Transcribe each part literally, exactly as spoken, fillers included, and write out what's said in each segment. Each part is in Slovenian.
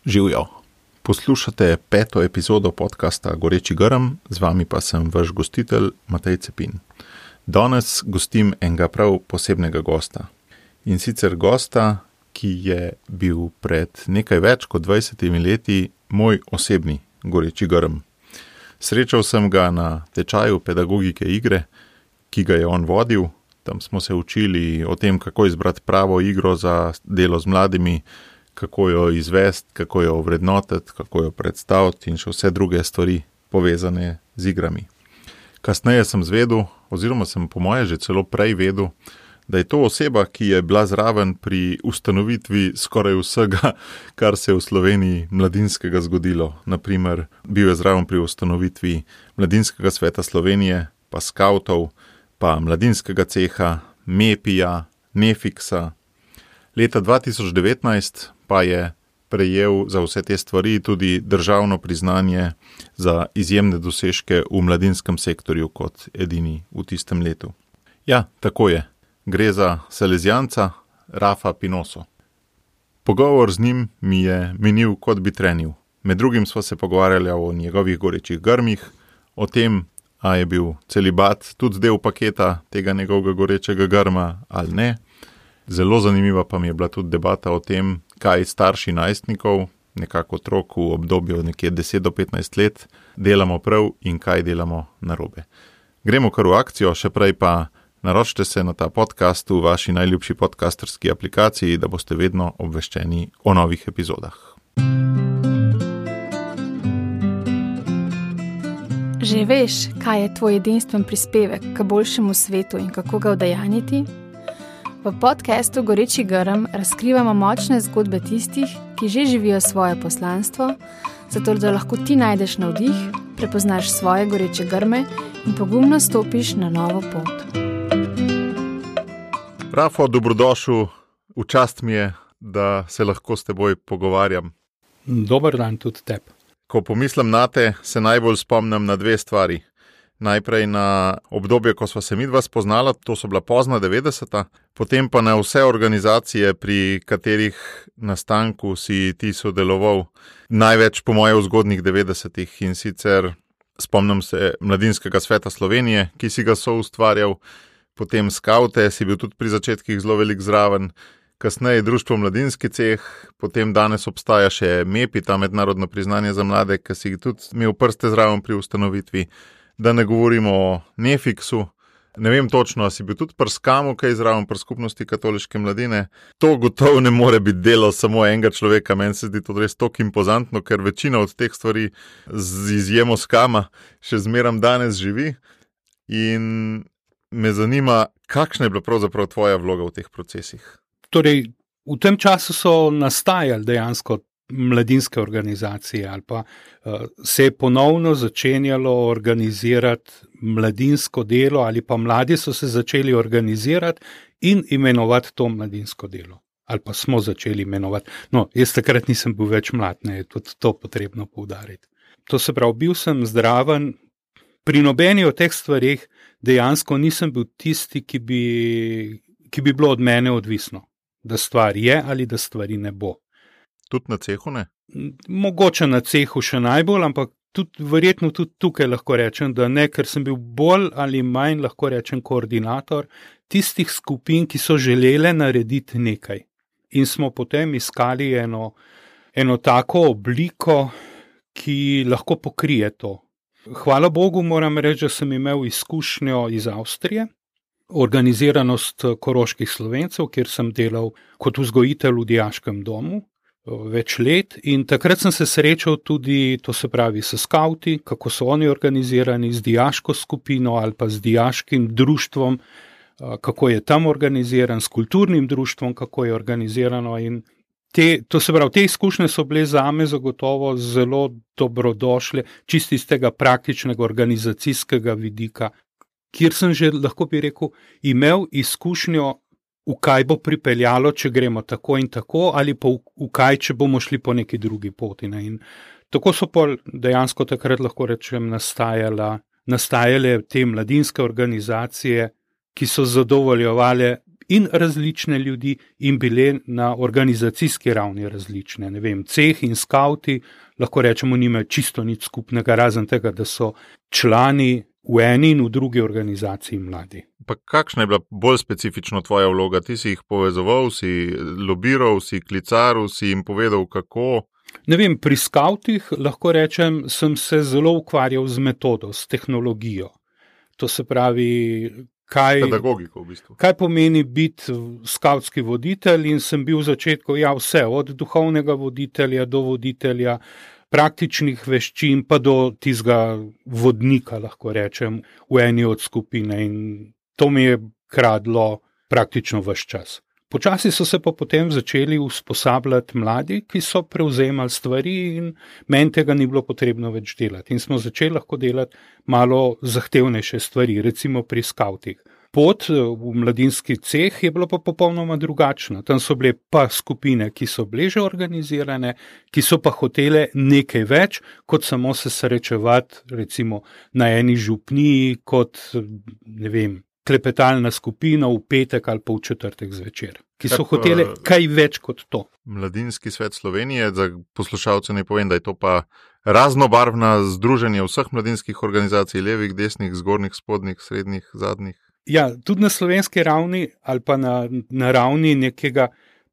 Živjo. Poslušate peto epizodo podcasta Goreči grm, z vami pa sem vaš gostitelj Matej Cepin. Danes gostim enega prav posebnega gosta. In sicer gosta, ki je bil pred nekaj več kot dvajsetimi leti moj osebni Goreči grm. Srečal sem ga na tečaju pedagogike igre, ki ga je on vodil. Tam smo se učili o tem, kako izbrati pravo igro za delo z mladimi, kako jo izvesti, kako jo ovrednotiti, kako jo predstaviti in še vse druge stvari povezane z igrami. Kasneje sem zvedel, oziroma sem po moje že celo prej vedel, da je to oseba, ki je bila zraven pri ustanovitvi skoraj vsega, kar se je v Sloveniji mladinskega zgodilo. Naprimer, bil je zraven pri ustanovitvi Mladinskega sveta Slovenije, pa skavtov, pa mladinskega ceha, Mepija, Nefiksa. Leta dva tisoč devetnajst pa je prejel za vse te stvari tudi državno priznanje za izjemne dosežke v mladinskem sektorju kot edini v tistem letu. Ja, tako je. Gre za Salezijanca Rafa Pinoso. Pogovor z njim mi je minil, kot bi trenil. Med drugim sva se pogovarjali o njegovih gorečih grmih, o tem, a je bil celibat tudi del paketa tega njegovega gorečega grma ali ne. Zelo zanimiva pa mi je bila tudi debata o tem, kaj starši najstnikov, nekako otrok v obdobju nekje deset do petnajst let, delamo prav in kaj delamo narobe. Gremo kar v akcijo, še prej pa naročite se na ta podcast v vaši najljubši podcasterski aplikaciji, da boste vedno obveščeni o novih epizodah. Že veš, kaj je tvoj edinstven prispevek k boljšemu svetu in kako ga udejanjiti? V podcastu Goreči grm razkrivamo močne zgodbe tistih, ki že živijo svoje poslanstvo, zato da lahko ti najdeš navdih, prepoznaš svoje goreče grme in pogumno stopiš na novo pot. Rafo, dobrodošel. V čast mi je, da se lahko s teboj pogovarjam. Dober dan tudi tebi. Ko pomislim nate, se najbolj spomnim na dve stvari. Najprej na obdobje, ko sva se midva spoznala, to so bila pozna devetdeseta, potem pa na vse organizacije, pri katerih nastanku si ti sodeloval, največ po moje v zgodnjih devetdesetih, in sicer spomnim se Mladinskega sveta Slovenije, ki si ga soustvarjal, potem skavte, si bil tudi pri začetkih zelo velik zraven, kasneje Društvo Mladinski ceh, potem danes obstaja še Mepi, ta mednarodno priznanje za mlade, ki si tudi imel prste zraven pri ustanovitvi. Da ne govorimo o Nefiksu, ne vem točno, a si bil tudi pri Skamu, kaj zraven pri skupnosti katoliške mladine. To gotovo ne more biti delo samo enega človeka, meni se zdi to res toliko impozantno, ker večina od teh stvari z izjemo Skama še zmeram danes živi. In me zanima, kakšna je bila pravzaprav tvoja vloga v teh procesih? Torej, v tem času so nastajali dejansko mladinske organizacije ali pa uh, se je ponovno začenjalo organizirati mladinsko delo ali pa mladi so se začeli organizirati in imenovati to mladinsko delo. Ali pa smo začeli imenovati. No, jaz takrat nisem bil več mlad, ne, je tudi to potrebno poudariti. To se pravi, bil sem zdraven, pri nobeni od teh stvarih dejansko nisem bil tisti, ki bi, ki bi bilo od mene odvisno, da stvar je ali da stvari ne bo. Tudi na cehu ne? Mogoče na cehu še najbolj, ampak tudi, verjetno tudi tukaj lahko rečem, da ne, ker sem bil bolj ali manj, lahko rečem, koordinator tistih skupin, ki so želele narediti nekaj. In smo potem iskali eno, eno tako obliko, ki lahko pokrije to. Hvala Bogu moram reči, da sem imel izkušnjo iz Avstrije, organiziranost koroških Slovencev, kjer sem delal kot vzgojitelj v dijaškem domu več let in takrat sem se srečal tudi, to se pravi, s skavti, kako so oni organizirani, z dijaško skupino ali pa z dijaškim društvom, kako je tam organiziran, s kulturnim društvom, kako je organizirano in te, to se pravi, te izkušnje so bile zame zagotovo zelo dobrodošle, čisto iz tega praktičnega organizacijskega vidika, kjer sem že, lahko bi rekel, imel izkušnjo, v kaj bo pripeljalo, če gremo tako in tako, ali pa v, v kaj, če bomo šli po neki drugi poti. Ne? In tako so pol dejansko takrat, lahko rečem, nastajale te mladinske organizacije, ki so zadovoljevale in različne ljudi in bile na organizacijski ravni različne. Ne vem, ceh in skauti, lahko rečemo, nimajo čisto nič skupnega, razen tega, da so člani v eni in v drugi organizaciji mladi. Pa kakšna je bila bolj specifično tvoja vloga? Ti si jih povezoval, si lobiral, si klicaril, si jim povedal, kako? Ne vem, pri skautih lahko rečem, sem se zelo ukvarjal z metodo, s tehnologijo. To se pravi, kaj, pedagogiko v bistvu. Kaj pomeni biti skautski voditelj, in sem bil v začetku ja, vse, od duhovnega voditelja do voditelja, praktičnih veščin pa do tistega vodnika, lahko rečem, v eni od skupine, in to mi je kradlo praktično ves čas. Počasi so se pa potem začeli usposabljati mladi, ki so prevzemali stvari in meni tega ni bilo potrebno več delati. In smo začeli lahko delati malo zahtevnejše stvari, recimo pri skautih. Pot v mladinski ceh je bila pa popolnoma drugačna. Tam so bile pa skupine, ki so bile že organizirane, ki so pa hotele nekaj več, kot samo se srečevati recimo na eni župniji, kot ne vem, klepetalna skupina v petek ali pa v četrtek zvečer, ki so hotele kaj več kot to. Mladinski svet Slovenije, za poslušalce ne povem, da je to pa raznobarvna združenje vseh mladinskih organizacij, levih, desnih, zgornjih, spodnjih, srednjih, zadnjih. Ja, tudi na slovenski ravni ali pa na, na ravni nekega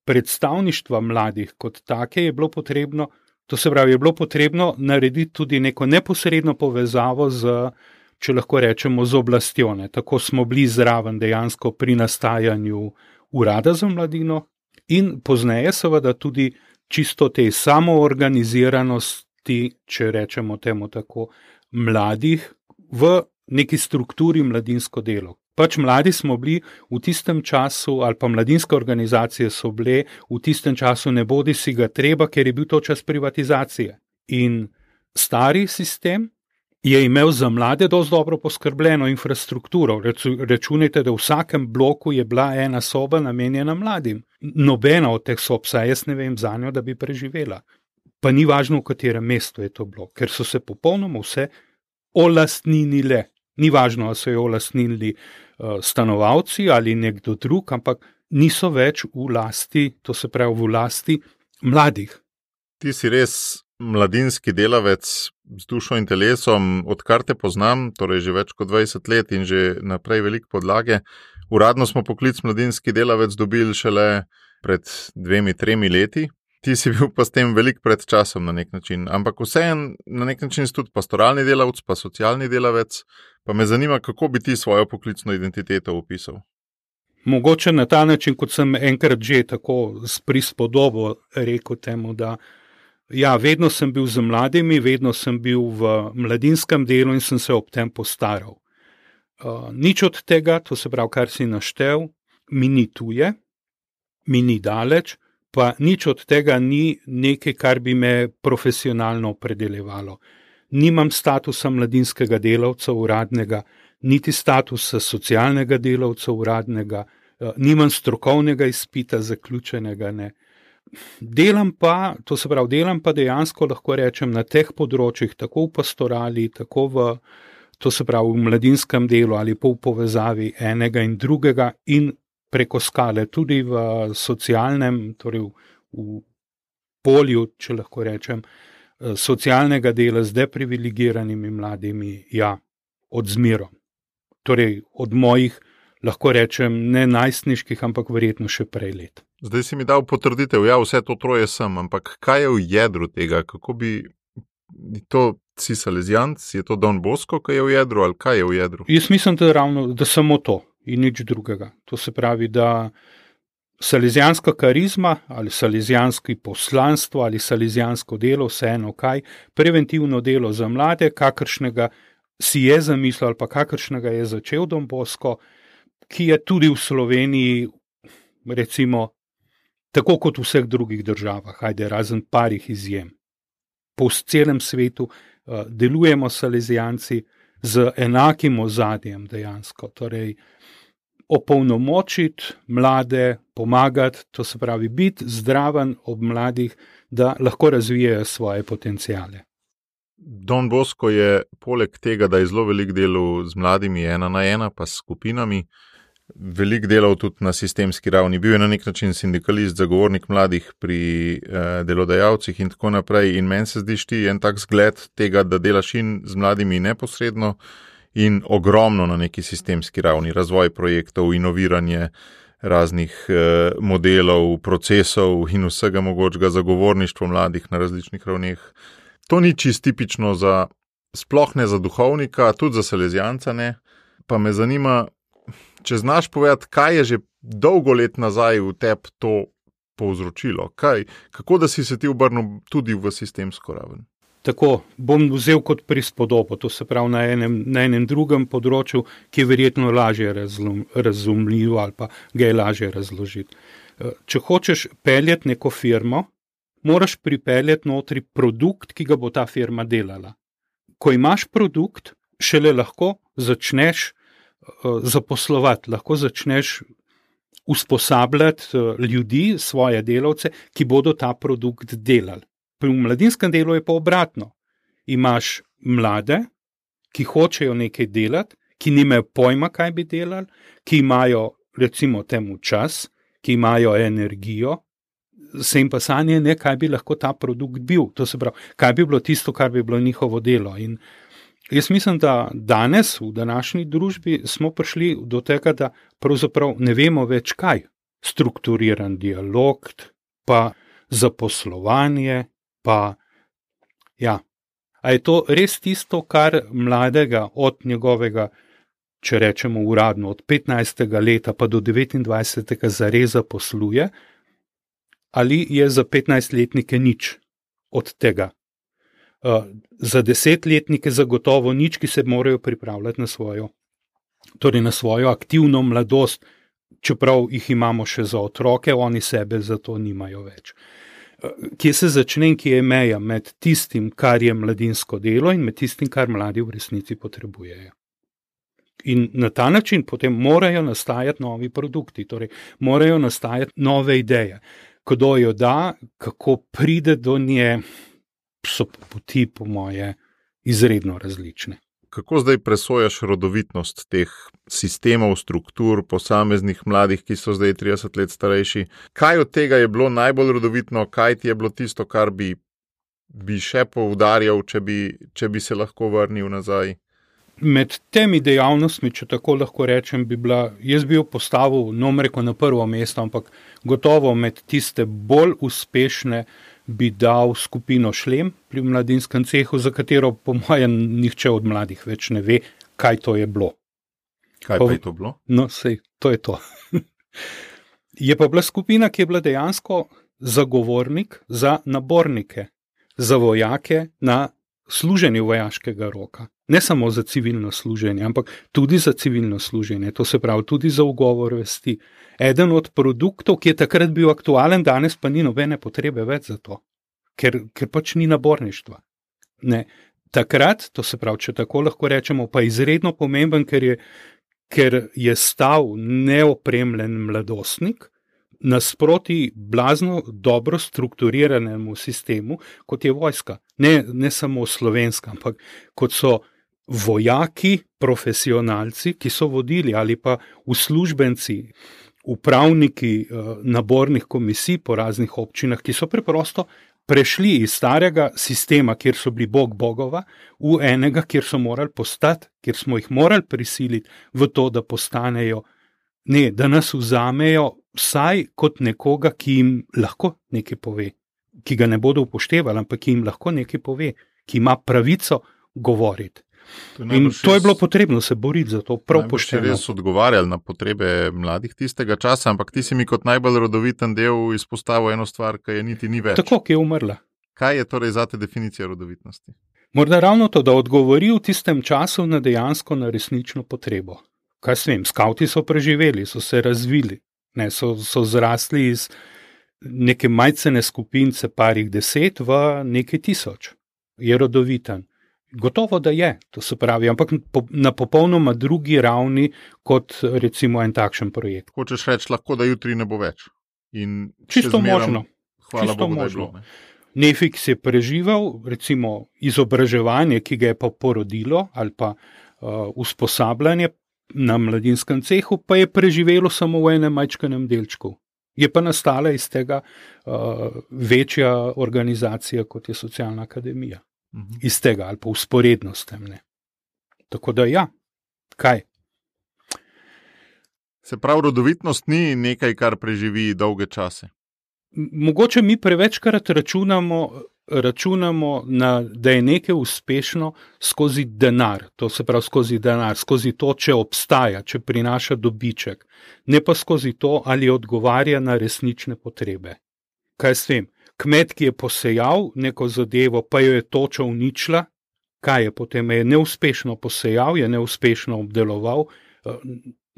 predstavništva mladih kot take je bilo potrebno, to se pravi, je bilo potrebno narediti tudi neko neposredno povezavo z, če lahko rečemo, z oblastjo. Ne. Tako smo bili zraven dejansko pri nastajanju urada za mladino in pozneje seveda tudi čisto te samoorganiziranosti, če rečemo temu tako, mladih v neki strukturi mladinsko delo. Pač mladi smo bili v tistem času, ali pa mladinske organizacije so bile v tistem času ne bodi si ga treba, ker je bil to čas privatizacije. In stari sistem je imel za mlade dosti dobro poskrbljeno infrastrukturo. Računajte, da v vsakem bloku je bila ena soba namenjena mladim. Nobena od teh sob, saj jaz ne vem za njo, da bi preživela. Pa ni važno, v katerem mestu je to bilo, ker so se popolnoma vse olastninile. Ni važno, ali so jo olastnili uh, stanovalci ali nekdo drug, ampak niso več v lasti, to se pravi v lasti mladih. Ti si res mladinski delavec z dušo in telesom, odkar te poznam, torej že več kot dvajset let in že naprej veliko podlage. Uradno smo poklic mladinski delavec dobili šele pred dvemi, tremi leti. Ti si bil pa s tem veliko pred časom na nek način, ampak vseeno na nek način si tudi pastoralni delavec, pa socialni delavec, pa me zanima, kako bi ti svojo poklicno identiteto opisal. Mogoče na ta način, kot sem enkrat že tako s prispodobo rekel temu, da ja, vedno sem bil z mladimi, vedno sem bil v mladinskem delu in sem se ob tem postaral. Uh, nič od tega, to se pravi, kar si naštel, mi ni tuje, mi ni daleč, pa nič od tega ni nekaj, kar bi me profesionalno opredeljevalo. Nimam statusa mladinskega delavca uradnega, niti statusa socialnega delavca uradnega, nimam strokovnega izpita zaključenega, ne. Delam pa, to se pravi, delam pa dejansko, lahko rečem, na teh področjih, tako v pastorali, tako v, to se pravi, v mladinskem delu ali pa v povezavi enega in drugega in preko skale, tudi v socialnem, torej v, v polju, če lahko rečem, socialnega dela z deprivilegiranimi mladimi, ja, od zmerom. Torej od mojih, lahko rečem, ne najstniških, ampak verjetno še prej let. Zdaj si mi dal potrditev, ja, vse to troje sem, ampak kaj je v jedru tega? Kako bi to, si salezijanc, je to Don Bosco, kaj je v jedru, ali kaj je v jedru? Jaz mislim, da ravno, da samo to. In nič drugega. To se pravi, da salezijanska karizma ali salezijanski poslanstvo ali salezijansko delo, vseeno kaj, preventivno delo za mlade, kakršnega si je zamislil ali pa kakršnega je začel Don Bosco, ki je tudi v Sloveniji, recimo, tako kot v vseh drugih državah, ajde, razen parih izjem. Po celem svetu uh, delujemo salezijanci z enakim ozadjem dejansko, torej opolnomočiti mlade, pomagati, to se pravi biti zdraven ob mladih, da lahko razvijajo svoje potencijale. Don Bosco je poleg tega, da je zelo velik delu z mladimi ena na ena, pa s skupinami, veliko delal tudi na sistemski ravni. Bil je na nek način sindikalist, zagovornik mladih pri eh, delodajalcih in tako naprej. In meni se zdiš ti en tak zgled tega, da delaš in z mladimi neposredno in ogromno na neki sistemski ravni. Razvoj projektov, inoviranje raznih eh, modelov, procesov in vsega mogočega zagovorništvo mladih na različnih ravneh. To ni čist tipično za, sploh ne za duhovnika, tudi za salezijanca ne. Pa me zanima, če znaš povedati, kaj je že dolgo let nazaj v tebi to povzročilo? Kaj, kako da si se ti obrnil tudi v sistemsko raven? Tako, bom vzel kot prispodobo, to se pravi na enem, na enem drugem področju, ki je verjetno lažje razlom, razumljivo ali pa ga je lažje razložiti. Če hočeš peljati neko firmo, moraš pripeljati notri produkt, ki ga bo ta firma delala. Ko imaš produkt, šele lahko začneš uh, zaposlovati, lahko začneš usposabljati uh, ljudi, svoje delavce, ki bodo ta produkt delali. Pri mladinskem delu je pa obratno. Imaš mlade, ki hočejo nekaj delati, ki nimajo pojma, kaj bi delali, ki imajo recimo temu čas, ki imajo energijo, se jim pa sanje ne, kaj bi lahko ta produkt bil. To se pravi, kaj bi bilo tisto, kar bi bilo njihovo delo. In jaz mislim, da danes v današnji družbi smo prišli do tega, da pravzaprav ne vemo več kaj. Strukturiran dialog, pa zaposlovanje, pa ja. A je to res tisto, kar mladega od njegovega, če rečemo uradno, od petnajstega leta pa do devetindvajsetega zareza posluje, ali je za petnajstletnike nič od tega? Uh, za desetletnike zagotovo nič, ki se morajo pripravljati na svojo, torej na svojo aktivno mladost, čeprav jih imamo še za otroke, oni sebe za to nimajo več. Kje se začne in kje je meja med tistim, kar je mladinsko delo in med tistim, kar mladi v resnici potrebujejo. In na ta način potem morajo nastajati novi produkti, torej morajo nastajati nove ideje. Kdo jo da, kako pride do nje, so poti po moje izredno različne. Kako zdaj presojaš rodovitnost teh sistemov, struktur, posameznih mladih, ki so zdaj trideset let starejši? Kaj od tega je bilo najbolj rodovitno, kaj ti je bilo tisto, kar bi, bi še poudarjal, če bi, če bi se lahko vrnil nazaj? Med temi dejavnostmi, če tako lahko rečem, bi bila, jaz bi jo postavil, no reko na prvo mesto, ampak gotovo med tiste bolj uspešne bi dal skupino Šlem pri mladinskem cehu, za katero po mojem nihče od mladih več ne ve, kaj to je bilo. Kaj pa je to bilo? No, sej, to je to. Je pa bila skupina, ki je bila dejansko zagovornik za nabornike, za vojake na služenju vojaškega roka. Ne samo za civilno služenje, ampak tudi za civilno služenje, to se pravi tudi za ugovor vesti. Eden od produktov, ki je takrat bil aktualen, danes pa ni nobene potrebe več za to, ker, ker pač ni naborništva. Ne. Takrat, to se pravi, če tako lahko rečemo, pa izredno pomemben, ker je, ker je stal neopremljen mladostnik nasproti blazno dobro strukturiranemu sistemu, kot je vojska. Ne, ne samo slovenska, ampak kot so vojaki, profesionalci, ki so vodili, ali pa uslužbenci, upravniki eh, nabornih komisij po raznih občinah, ki so preprosto prešli iz starega sistema, kjer so bili bog bogova, v enega, kjer so morali postati, kjer smo jih morali prisiliti v to, da postanejo, ne, da nas vzamejo vsaj kot nekoga, ki jim lahko nekaj pove, ki ga ne bodo upoštevali, ampak ki jim lahko nekaj pove, ki ima pravico govoriti. To in to je bilo potrebno se boriti za to, prav pošteno. Res odgovarjali na potrebe mladih tistega časa, ampak ti si mi kot najbolj rodoviten del izpostavil eno stvar, ki je niti ni več. Tako, ki je umrla. Kaj je torej zate definicija rodovitnosti? Morda ravno to, da odgovori v tistem času na dejansko na resnično potrebo. Kaj s vem, skavti so preživeli, so se razvili, ne, so, so zrasli iz neke majcene skupince parih deset v nekaj tisoč. Je rodoviten. Gotovo, da je, to se pravi, ampak na popolnoma drugi ravni kot recimo en takšen projekt. Hočeš reči lahko, da jutri ne bo več. In čisto zmeram, možno. Hvala Čisto Bogu, možno. Da je bilo, ne? Nefiks je preživel, recimo izobraževanje, ki ga je pa porodilo, ali pa uh, usposabljanje, na mladinskem cehu, pa je preživelo samo v enem majčkenem delčku. Je pa nastala iz tega uh, večja organizacija, kot je Socialna akademija. Uh-huh. Iz tega ali pa usporedno s tem. Ne. Tako da ja, kaj? Se pravi, rodovitnost ni nekaj, kar preživi dolge čase. Mogoče mi prevečkrat računamo, računamo na, da je nekaj uspešno skozi denar, to se pravi skozi denar, skozi to, če obstaja, če prinaša dobiček, ne pa skozi to, ali odgovarja na resnične potrebe. Kaj s tem? Kmet, ki je posejal neko zadevo, pa jo je toča uničila, kaj je potem? Je neuspešno posejal, je neuspešno obdeloval,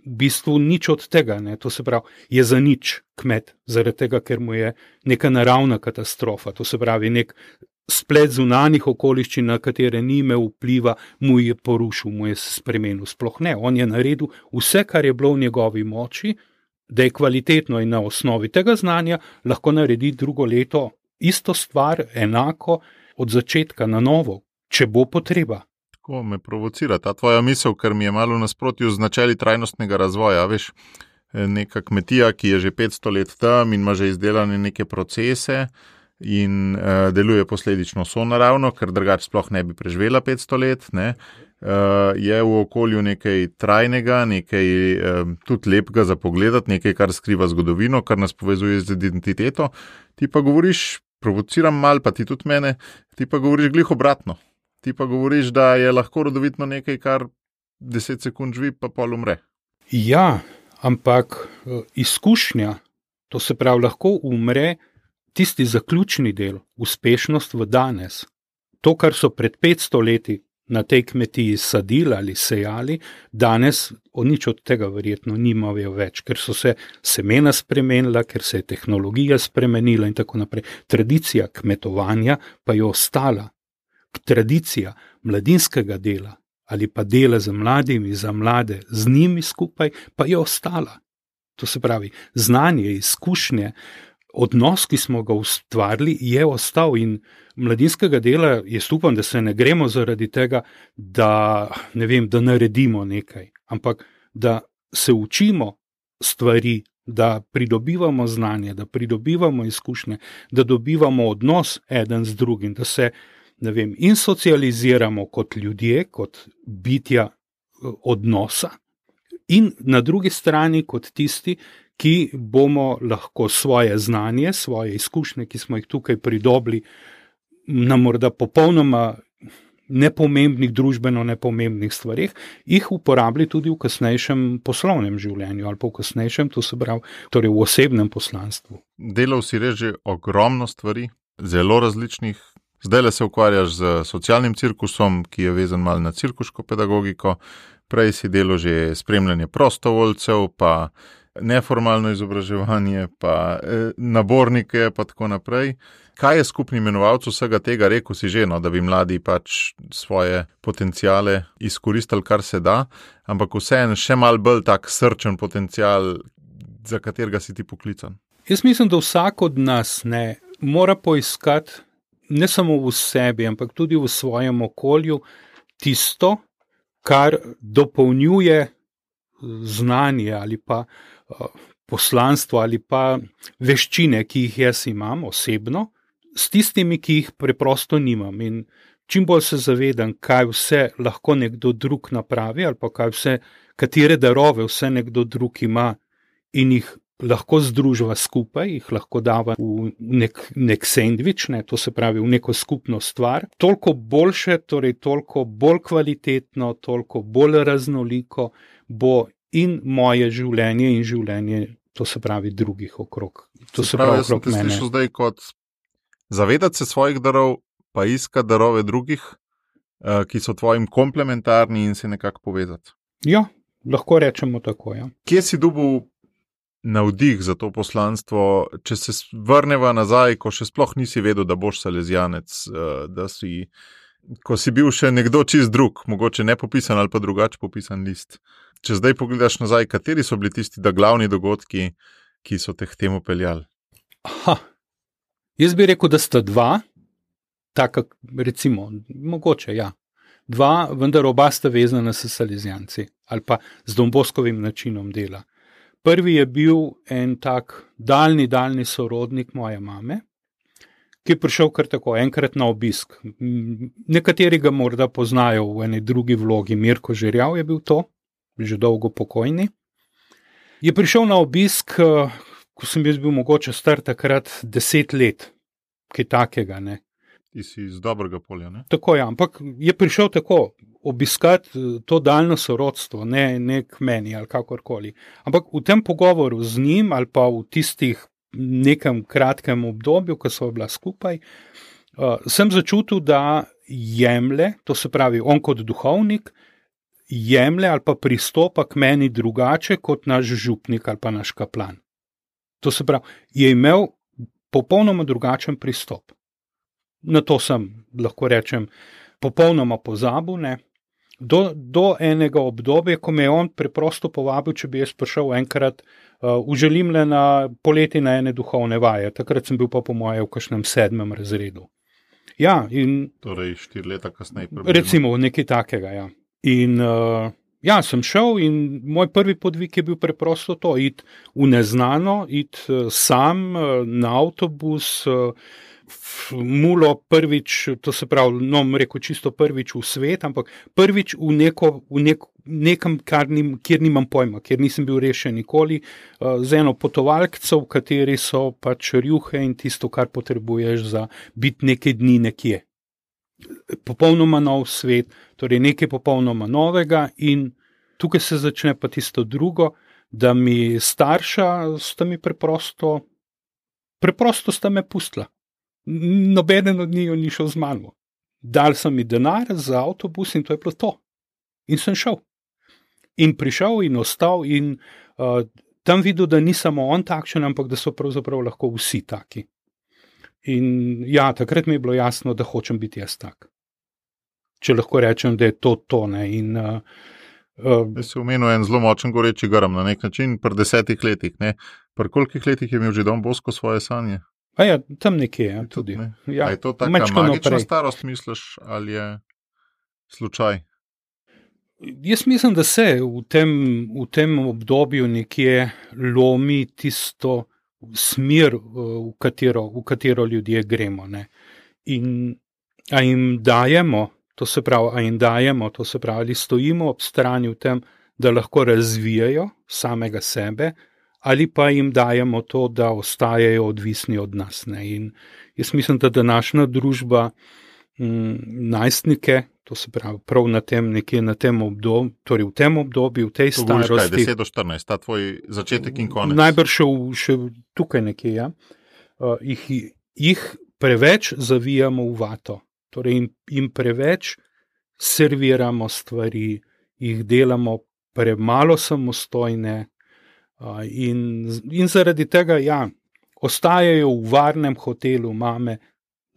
v bistvu nič od tega, ne? To se pravi, je za nič kmet, zaradi tega, ker mu je neka naravna katastrofa, to se pravi, nek splet zunanjih okoliščin, na katere ni imel vpliva, mu je porušil, mu je spremenil, sploh ne. On je naredil vse, kar je bilo v njegovi moči, da je kvalitetno in na osnovi tega znanja lahko naredi drugo leto isto stvar, enako, od začetka na novo, če bo potreba. Tako me provocira ta tvoja misel, ker mi je malo nasprotju z načeli trajnostnega razvoja. Veš, neka kmetija, ki je že petsto let tam in ima že izdelane neke procese in uh, deluje posledično sonaravno, ker drugače sploh ne bi preživela petsto let, ne, uh, je v okolju nekaj trajnega, nekaj uh, tudi lepega za pogledati, nekaj, kar skriva zgodovino, kar nas povezuje z identiteto. Ti pa govoriš, provociram mal, pa ti tudi mene, ti pa govoriš glih obratno. Ti pa govoriš, da je lahko rodovitno nekaj, kar deset sekund živi, pa pol umre. Ja, ampak izkušnja, to se pravi, lahko umre tisti zaključni del, uspešnost v danes. To, kar so pred petsto leti na tej kmetiji sadili ali sejali, danes o nič od tega verjetno nimajo več, ker so se semena spremenila, ker se je tehnologija spremenila in tako naprej. Tradicija kmetovanja pa je ostala. Tradicija mladinskega dela ali pa dela z mladimi, za mlade, z njimi skupaj, pa je ostala. To se pravi, znanje, izkušnje, odnos, ki smo ga ustvarili, je ostal in mladinskega dela, jaz upam, da se ne gremo zaradi tega, da, ne vem, da naredimo nekaj, ampak da se učimo stvari, da pridobivamo znanje, da pridobivamo izkušnje, da dobivamo odnos eden z drugim, da se ne vem, in socializiramo kot ljudje, kot bitja odnosa in na drugi strani kot tisti, ki bomo lahko svoje znanje, svoje izkušnje, ki smo jih tukaj pridobili na morda popolnoma nepomembnih, družbeno nepomembnih stvarih, jih uporabili tudi v kasnejšem poslovnem življenju ali pa v kasnejšem, to se pravi, torej v osebnem poslanstvu. Delal si res že ogromno stvari, zelo različnih. Zdaj se ukvarjaš z socialnim cirkusom, ki je vezan malo na cirkuško pedagogiko, prej si delal že spremljanje prostovoljcev, pa neformalno izobraževanje, pa nabornike, pa tako naprej. Kaj je skupni imenovalec vsega tega? Rekel si že, no, da bi mladi pač svoje potencijale izkoristili, kar se da, ampak vseeno še malo bolj tak srčen potencijal, za katerega si ti poklican. Jaz mislim, da vsak od nas ne mora poiskati ne samo v sebi, ampak tudi v svojem okolju, tisto, kar dopolnjuje znanje ali pa uh, poslanstvo ali pa veščine, ki jih jaz imam osebno, s tistimi, ki jih preprosto nimam. In čim bolj se zavedam, kaj vse lahko nekdo drug napravi ali pa kaj vse, katere darove vse nekdo drug ima in jih lahko združva skupaj, jih lahko dava v nek, nek sendvič, ne, to se pravi v neko skupno stvar, toliko boljše, torej toliko bolj kvalitetno, toliko bolj raznoliko bo in moje življenje in življenje, to se pravi drugih okrog. To se, se pravi, pravi okrog mene. Jaz sem te slišal zdaj kot zavedati se svojih darov, pa iskati darove drugih, ki so tvojim komplementarni in se nekako povezati. Ja, lahko rečemo tako, ja. Kje si dobil navdih za to poslanstvo, če se vrneva nazaj, ko še sploh nisi vedel, da boš salezijanec, da si, ko si bil še nekdo čist drug, mogoče nepopisan ali pa drugače popisan list. Če zdaj pogledaš nazaj, kateri so bili tisti da glavni dogodki, ki so te k temu peljali? Aha, jaz bi rekel, da sta dva, taka recimo, mogoče, ja. dva, vendar oba sta vezana s salezijanci ali pa z Domboskovim načinom dela. Prvi je bil en tak daljni, daljni sorodnik moje mame, ki je prišel kar tako enkrat na obisk. Nekateri ga morda poznajo v eni drugi vlogi, Mirko Žerjav je bil to, že dolgo pokojni. Je prišel na obisk, ko sem jaz bil mogoče star takrat deset let, kaj takega, ne. Ti si iz dobrega polja, ne? Tako je, ja, ampak je prišel tako obiskati to daljno sorodstvo, ne, ne k meni ali kakorkoli. Ampak v tem pogovoru z njim ali pa v tistih nekem kratkem obdobju, ko so bila skupaj, uh, sem začutil, da jemlje, to se pravi, on kot duhovnik, jemlje ali pa pristopa k meni drugače kot naš župnik ali pa naš kaplan. To se pravi, je imel popolnoma drugačen pristop. Na to sem, lahko rečem, popolnoma pozabil, ne. Do, do enega obdobja, ko me je on preprosto povabil, če bi jaz prišel enkrat uh, v Želimlje na poleti na ene duhovne vaje. Takrat sem bil pa po moje v kakšnem sedmem razredu. Ja, in torej štiri leta kasneje. Približno. Recimo nekaj takega, ja. In uh, ja, sem šel in moj prvi podvig je bil preprosto to, iti v neznano, iti uh, sam uh, na avtobus, uh, mulo prvič, to se pravi, no, rekel čisto prvič v svet, ampak prvič v, neko, v neko, nekem, kar nim, kjer nimam pojma, kjer nisem bil rešen nikoli, uh, z eno potovalkco, v kateri so pač rjuhe in tisto, kar potrebuješ za biti nekaj dni nekje. Popolnoma nov svet, torej nekaj popolnoma novega in tukaj se začne pa tisto drugo, da mi starša sta mi preprosto, preprosto sta me pustila. Nobeden od njiju ni šel z mano. Dal so mi denar za avtobus in to je bilo to. In sem šel. In prišel in ostal in uh, tam videl, da ni samo on takšen, ampak da so pravzaprav lahko vsi taki. In ja, takrat mi je bilo jasno, da hočem biti jaz tak. Če lahko rečem, da je to to, ne. In, uh, uh, Jaz si omenil en zelo močen goreči grm na nek način, pri desetih letih, ne. Pri kolikih letih je imel že Don Bosco svoje sanje? A ja, tam nekje, ja, tudi. Ne. Ja, je to taka magična naprej. Starost, misliš, ali je slučaj? Jaz mislim, da se v tem, v tem obdobju nekje lomi tisto smer, v katero, v katero ljudje gremo, ne. In a jim dajemo, to se pravi, a jim dajemo, to se pravi, ali stojimo ob strani v tem, da lahko razvijajo samega sebe, ali pa jim dajemo to, da ostajajo odvisni od nas, ne. In jaz mislim, da današnja družba m, najstnike, to se pravi, prav na tem nekje na tem obdobju, torej v tem obdobju, v tej to starosti. Kaj, deset do štirinajst, ta tvoj začetek in konec. Najbrž še, še tukaj nekje, ja. Uh, jih, jih preveč zavijamo v vato, torej jim, jim preveč serviramo stvari, jih delamo premalo samostojne, uh, in, in zaradi tega, ja, ostajajo v varnem hotelu mame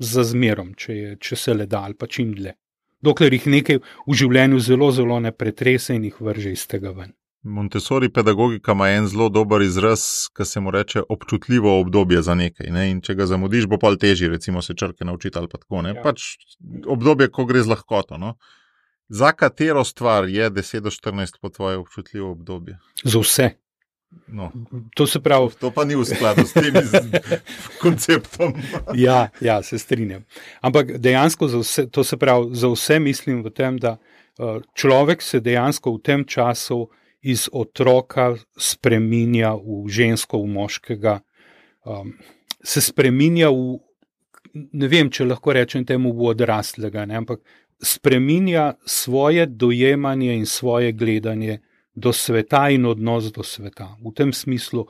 za zmerom, če, je, če se le da ali pa čim dlje. Dokler jih nekaj v življenju zelo, zelo ne pretrese in jih vrže iz tega ven. Montessori pedagogika ima en zelo dober izraz, ki se mu reče občutljivo obdobje za nekaj, ne? In če ga zamudiš, bo pol težji, recimo se črke naučiti ali pa tako, ne? Ja. Pač obdobje, ko gre z lahkoto, no? Za katero stvar je deset do štirinajst po tvoje občutljivo obdobje? Za vse. No. To se pravi... To pa ni v skladu s tem konceptom. Ja, ja, se strinjam. Ampak dejansko za vse, to se pravi, za vse mislim v tem, da uh, človek se dejansko v tem času iz otroka spreminja v žensko, v moškega, um, se spreminja v, ne vem, če lahko rečem temu, v odraslega, ne, ampak spreminja svoje dojemanje in svoje gledanje do sveta in odnos do sveta. V tem smislu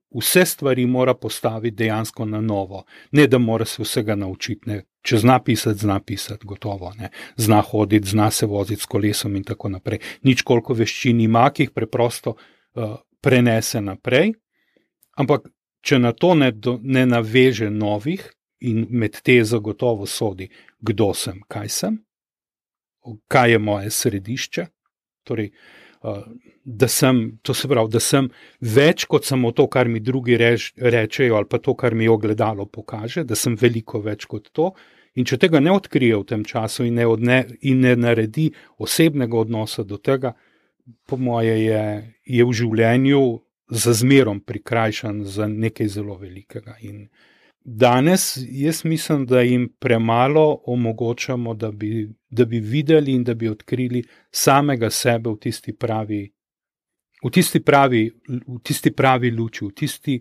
vse stvari mora postaviti dejansko na novo. Ne, da mora se vsega naučiti, ne. Če zna pisati, zna pisati, gotovo, ne. Zna hoditi, zna se voziti s kolesom in tako naprej. Nič koliko veščin ima, ki jih preprosto uh, prenese naprej, ampak če na to ne, do, ne naveže novih in med te zagotovo sodi, kdo sem, kaj sem, kaj je moje središče, torej Uh, da sem, to se pravi, da sem več kot samo to, kar mi drugi reč, rečejo ali pa to, kar mi ogledalo pokaže, da sem veliko več kot to In če tega ne odkrije v tem času in ne, odne, in ne naredi osebnega odnosa do tega, po moje je, je v življenju za zmerom prikrajšan za nekaj zelo velikega. In danes jaz mislim, da jim premalo omogočamo, da bi, da bi videli in da bi odkrili samega sebe v tisti pravi, v tisti pravi, v tisti pravi luči, v tisti,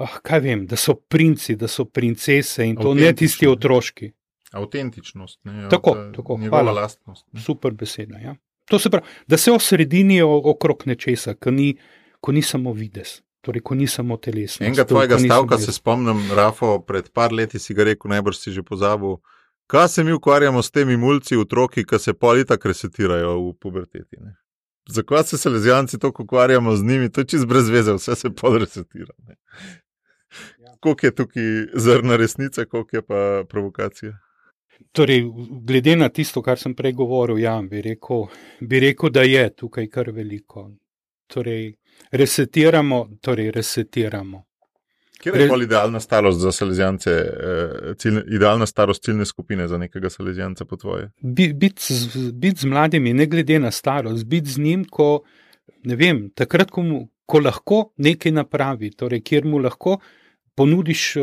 ah, kaj vem, da so princi, da so princese in to ne tisti otroški. Avtentičnost. Ne, tako, tako, hvala. Lastnost, ne. Super beseda, ja. To se pravi, da se osredinijo okrog nečesa, ko ni, ko ni samo videz, torej ko ni samo telesnost. Enega tvojega stavka se spomnim, Rafo, pred par leti si ga rekel, najbrž si že pozabil, kaj se mi ukvarjamo s temi mulci, otroki, ki se pol itak resetirajo v puberteti. Ne? Zakaj se salezijanci toliko ukvarjamo z njimi, to je čist brez veze, vse se pol resetira. Ne? Koliko je tukaj zrna resnice, koliko je pa provokacija? Torej, glede na tisto, kar sem prej govoril, ja, bi rekel, bi rekel, da je tukaj kar veliko. Torej, resetiramo, torej resetiramo. Kje je bolj idealna starost za salezijance, ciljne, idealna starost ciljne skupine za nekega salezijanca po tvoje? Biti bit z mladimi, ne glede na starost, biti z njim, ko, ne vem, takrat, ko, mu, ko lahko nekaj napravi, torej, kjer mu lahko ponudiš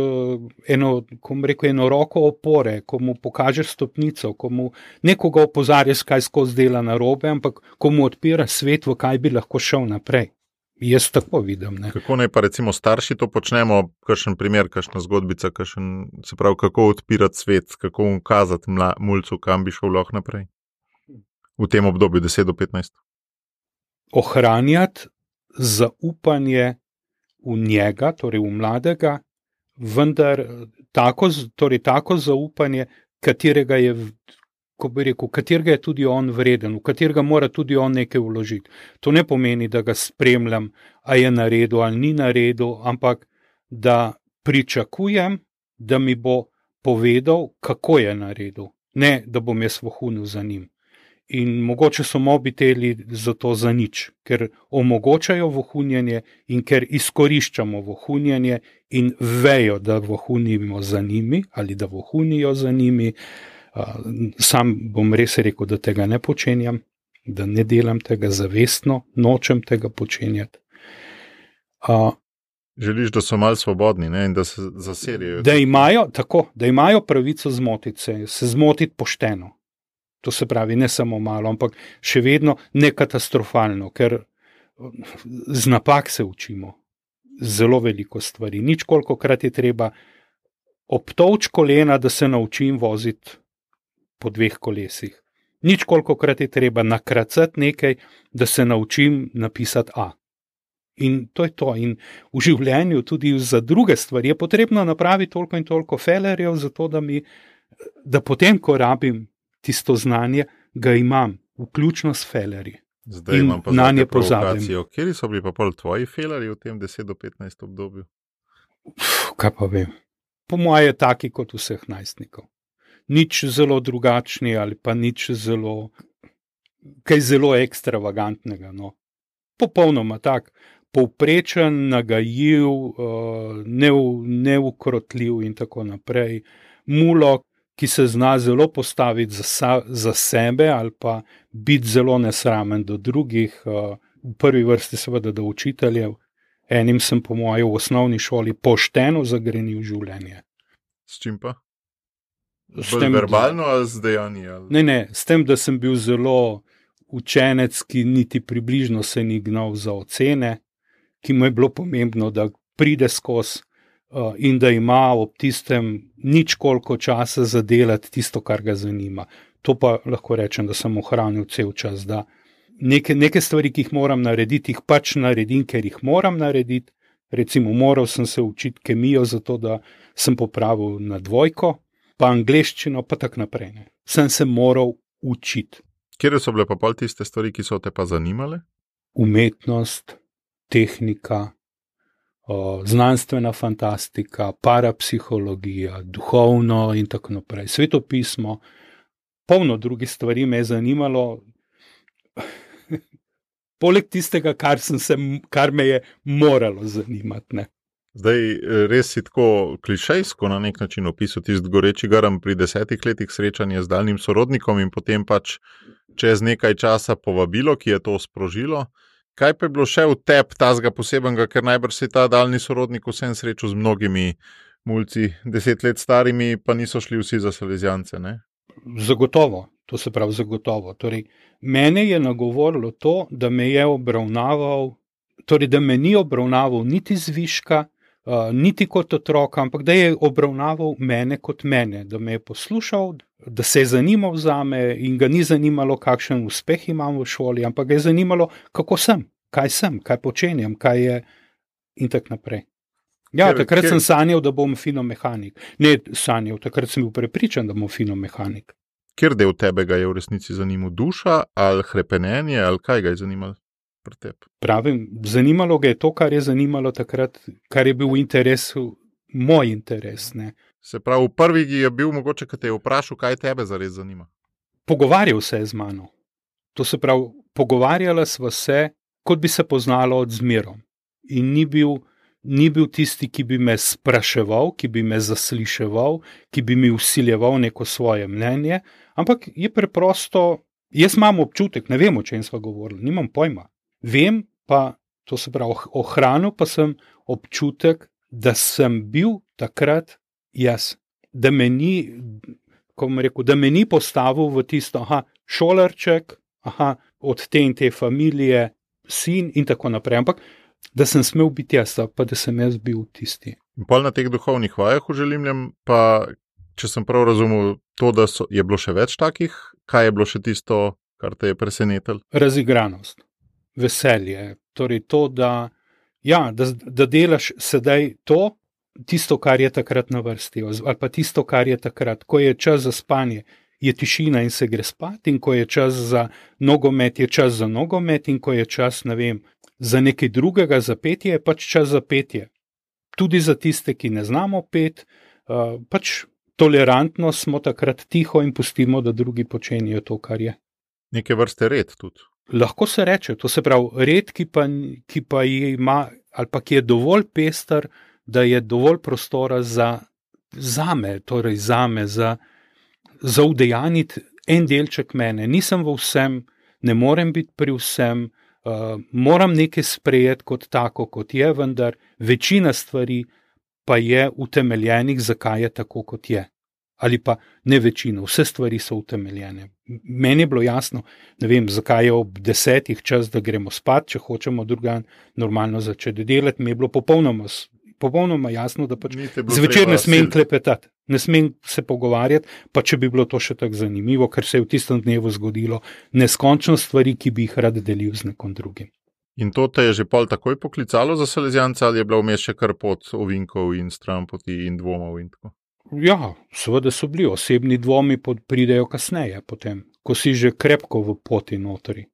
eno, ko mu rekel, eno roko opore, ko mu pokažeš stopnico, ko mu nekoga opozarjaš, kaj skozi dela narobe, ampak ko mu odpira svet, v kaj bi lahko šel naprej. Jaz tako vidim. Ne. Kako naj pa recimo starši to počnemo, kakšen primer, kakšna zgodbica, kakšen, se pravi, kako odpirati svet, kako mu kazati mla, mulcu, kam bi šel lahko naprej v tem obdobju deset do petnajst? Ohranjati zaupanje v njega, torej v mladega, vendar tako, torej tako zaupanje, katerega je, ko bi rekel, katerega je tudi on vreden, v katerega mora tudi on nekaj vložiti. To ne pomeni, da ga spremljam, a je naredil ali ni naredil, ampak da pričakujem, da mi bo povedal, kako je naredil. Ne, da bom jaz vohunil za njim. In mogoče so mobiteli zato za nič, ker omogočajo vohunjenje in ker izkoriščamo vohunjenje in vejo, da vohunimo za njimi ali da vohunijo za njimi. Sam bom res rekel, da tega ne počenjam, da ne delam tega zavestno, nočem tega počenjati. Želiš, da so malo svobodni, ne? In da se zaserijo. Da imajo, tako, da imajo pravico zmotiti se, se zmotiti pošteno. To se pravi, ne samo malo, ampak še vedno ne katastrofalno, ker z napak se učimo. Zelo veliko stvari. Nič kolikokrat je treba obtovč kolena, da se naučim voziti po dveh kolesih. Nič kolikokrat je treba nakracati nekaj, da se naučim napisati A. In to je to. In v življenju tudi za druge stvari je potrebno napraviti toliko in toliko felerjev, zato da mi, da potem, ko rabim tisto znanje, ga imam, vključno s felerji. Zdaj in imam pa na nje provokacijo. pozabim. Kjeri so bili pa pol tvoji felerji v tem deset do petnajst obdobju? Uf, kaj pa vem. Po moje taki kot vseh najstnikov. Nič zelo drugačni ali pa nič zelo, kaj zelo ekstravagantnega. No. Popolnoma tak, povprečen, nagajiv, neukrotljiv in tako naprej. Mulo, ki se zna zelo postaviti za, za sebe ali pa biti zelo nesramen do drugih, v prvi vrsti seveda do učiteljev. Enim sem po moje v osnovni šoli pošteno zagrenil življenje. S čim pa? S Bolj tem, verbalno ali z dejanji? Ali? Ne, ne, s tem, da sem bil zelo učenec, ki niti približno se ni gnal za ocene, ki mu je bilo pomembno, da pride skozi in da ima ob tistem nič koliko časa za delati tisto, kar ga zanima. To pa lahko rečem, da sem ohranil cel čas, da neke, neke stvari, ki jih moram narediti, jih pač naredim, ker jih moram narediti. Recimo, moral sem se učiti kemijo, zato da sem popravil na dvojko, pa angleščino, pa tak naprej. Ne. Sem se moral učiti. Kjer so bile pa pol tiste stvari, ki so te pa zanimale? Umetnost, tehnika, znanstvena fantastika, parapsihologija, duhovno in tako naprej. Svetopismo, polno drugih stvari me je zanimalo. Poleg tistega, kar, sem se, kar me je moralo zanimati. Ne. Zdaj, res si tako klišejsko na nek način opisal tisti goreči grm pri desetih letih srečanja z daljnim sorodnikom in potem pač čez nekaj časa povabilo, ki je to sprožilo. Kaj pa je bilo še v tebi tazga posebenega, ker najbrž si ta daljni sorodnik vsem srečal z mnogimi mulci, deset let starimi, pa niso šli vsi za salezijance, ne? Zagotovo, to se pravi zagotovo. Torej, mene je nagovorilo to, da me je obravnaval, torej, da me ni obravnaval niti zviška, uh, niti kot otroka, ampak da je obravnaval mene kot mene, da me je poslušal, da se je zanimal zame in ga ni zanimalo, kakšen uspeh imam v šoli, ampak ga je zanimalo, kako sem, kaj sem, kaj počenjam, kaj je in tako naprej. Ja, kjer, takrat kjer... sem sanjal, da bom finomehanik. Ne sanjal, takrat sem bil prepričan, da bom finomehanik. Kjer del tebe ga je v resnici zanimal? Duša ali hrepenenje ali kaj ga je zanimalo pri tebi? Pravim, zanimalo ga je to, kar je zanimalo takrat, kar je bil v interesu, moj interes. Ne. Se pravi, v prvi je bil mogoče, kad te je vprašal, kaj tebe zares zanima? Pogovarjal se je z mano. To se pravi, pogovarjala sva se, kot bi se poznalo od zmerom. In ni bil Ni bil tisti, ki bi me spraševal, ki bi me zasliševal, ki bi mi vsiljeval neko svoje mnenje, ampak je preprosto, jaz imam občutek, ne vem, o čem sva govorili, nimam pojma. Vem pa, to se pravi, ohranil pa sem občutek, da sem bil takrat jaz, da me ni, ko bom rekel, da me ni postavil v tisto, aha, šolarček, aha, od te in te familije, sin in tako naprej, ampak da sem smel biti jaz, pa da sem jaz bil tisti. In pol na teh duhovnih vajah v Želimljem, pa če sem prav razumel to, da so, je bilo še več takih, kaj je bilo še tisto, kar te je presenetilo? Razigranost, veselje, torej to, da, ja, da, da delaš sedaj to, tisto, kar je takrat na vrsti, ali pa tisto, kar je takrat, ko je čas za spanje, je tišina in se gre spat, in ko je čas za nogomet, je čas za nogomet, in ko je čas, ne vem, za nekaj drugega, za petje, je pač čas za petje. Tudi za tiste, ki ne znamo pet, uh, pač tolerantno smo takrat tiho in pustimo, da drugi počenjajo to, kar je. Neke vrste red tudi. Lahko se reče, to se pravi red, ki pa, ki pa ima, ali pa ki je dovolj pester, da je dovolj prostora za zame, torej zame, za, za udejaniti en delček mene. Nisem v vsem, ne morem biti pri vsem, Uh, moram nekaj sprejeti kot tako, kot je, vendar večina stvari pa je utemeljenih, zakaj je tako, kot je. Ali pa ne večina, vse stvari so utemeljene. Meni je bilo jasno, ne vem, zakaj je ob desetih čas, da gremo spat, če hočemo drugan normalno začeti delati, mi je bilo popolnoma, popolnoma jasno, da pač zvečer ne smem klepetati, ne smem se pogovarjati, pa če bi bilo to še tako zanimivo, ker se je v tistem dnevu zgodilo neskončno stvari, ki bi jih rad delil z nekom drugim. In to te je že pol takoj poklicalo za Salezijanca, ali je bila vmes še kar pot ovinkov in stranpoti in dvomov in tako? Ja, seveda so bili, osebni dvomi pridejo kasneje potem, ko si že krepko v poti notri.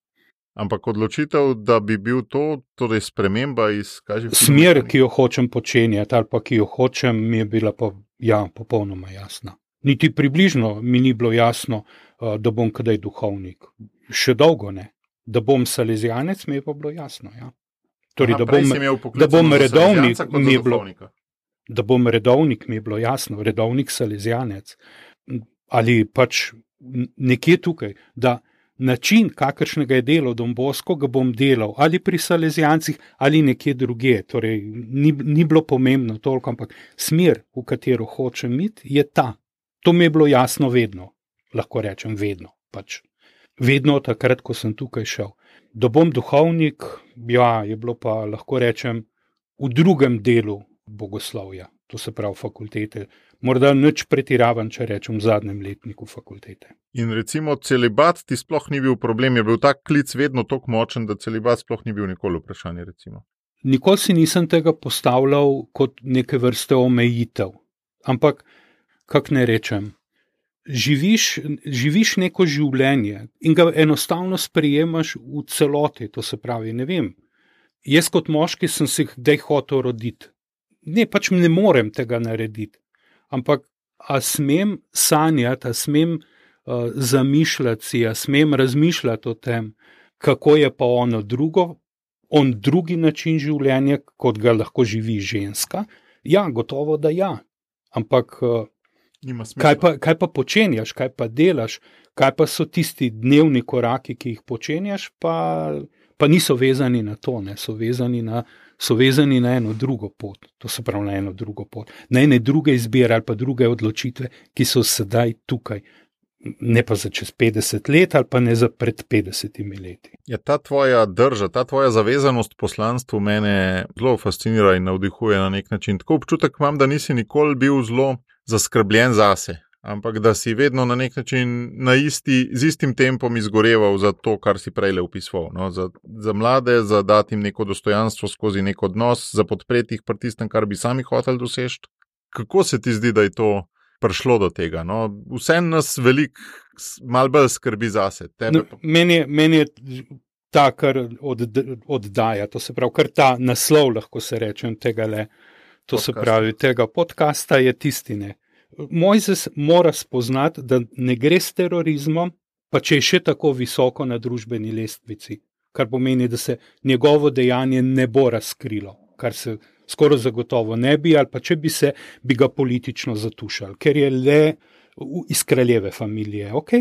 Ampak odločitev, da bi bil to, torej sprememba iz, kaj že... Smer, ki jo hočem počenjati, ali pa ki jo hočem, mi je bila pa, ja, popolnoma jasna. Niti približno mi ni bilo jasno, da bom kdaj duhovnik. Še dolgo ne. Da bom salezijanec, mi je pa bilo jasno, ja. Torej, Aha, da bom, da bom redovnik, mi je bilo, da bom redovnik, mi je bilo jasno, redovnik salezijanec. Ali pač nekje tukaj, da način, kakršnega je delal Don Bosco, ga bom delal ali pri salezijancih ali nekje druge. Torej, ni, ni bilo pomembno toliko, ampak smer, v katero hočem iti, je ta. To mi je bilo jasno vedno. Lahko rečem vedno. Pač. Vedno takrat, ko sem tukaj šel. Da bom duhovnik, ja, je bilo pa, lahko rečem, v drugem delu bogoslovja. To se pravi fakultete. Morda nič pretiravan, če rečem v zadnjem letniku fakultete. In recimo celibat ti sploh ni bil problem, je bil tak klic vedno tako močen, da celibat sploh ni bil nikoli vprašanje, recimo. Nikoli si nisem tega postavljal kot neke vrste omejitev. Ampak, kak ne rečem, živiš, živiš neko življenje in ga enostavno sprejemaš v celoti, to se pravi, ne vem. Jaz kot moški sem si kdaj hotel roditi. Ne, pač ne morem tega narediti. Ampak, a smem sanjati, a smem uh, zamišljati si, a smem razmišljati o tem, kako je pa ono drugo, on drugi način življenja, kot ga lahko živi ženska? Ja, gotovo, da ja. Ampak kaj pa, kaj pa počenjaš, kaj pa delaš, kaj pa so tisti dnevni koraki, ki jih počenjaš, pa, pa niso vezani na to, ne, so vezani na, so vezani na eno drugo pot. To se pravi na eno drugo pot. Na ene druge izbire ali pa druge odločitve, ki so sedaj tukaj. Ne pa za čez petdeset let ali pa ne za pred petdesetimi leti. Ja, ta tvoja drža, ta tvoja zavezanost poslanstvu mene zelo fascinira in navdihuje na nek način. Tako občutek imam, da nisi nikoli bil zelo zaskrbljen zase, ampak da si vedno na nek način na isti, z istim tempom izgoreval za to, kar si prej opisoval. No? Za, za mlade, za dati jim neko dostojanstvo skozi nek odnos, za podpreti jih pri tistem, kar bi sami hoteli doseči. Kako se ti zdi, da je to prišlo do tega? No? Vse nas veliko, malo bolj skrbi zase. Tebe... No, meni, je, meni je ta, kar od, oddaja, to se pravi, kar ta naslov, lahko se rečem, tega le, to Podcast. Se pravi, tega podcasta je tistine. Mojzes mora spoznati, da ne gre s terorizmom, pa če je še tako visoko na družbeni lestvici, kar pomeni, da se njegovo dejanje ne bo razkrilo, kar se skoraj zagotovo ne bi, ali pa če bi se, bi ga politično zatušali, ker je le iz kraljeve familije, ok?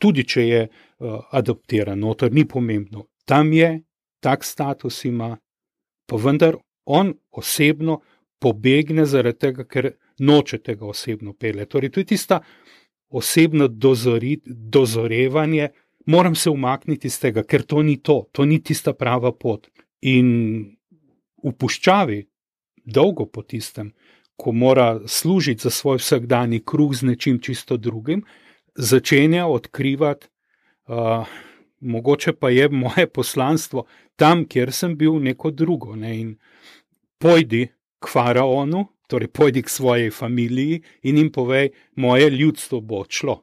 Tudi če je uh, adoptiran, noter ni pomembno. Tam je, tak status ima, pa vendar on osebno pobegne zaradi tega, ker noče tega osebno pele. Torej, to je tista osebno dozori, dozorevanje, moram se umakniti iz tega, ker to ni to, to ni tista prava pot. In v puščavi, dolgo po tistem, ko mora služiti za svoj vsakdanji kruh z nečim čisto drugim, začenja odkrivati, uh, mogoče pa je moje poslanstvo tam, kjer sem bil neko drugo. Ne? In pojdi k faraonu, torej pojdi k svojej familiji in jim povej, moje ljudstvo bo odšlo.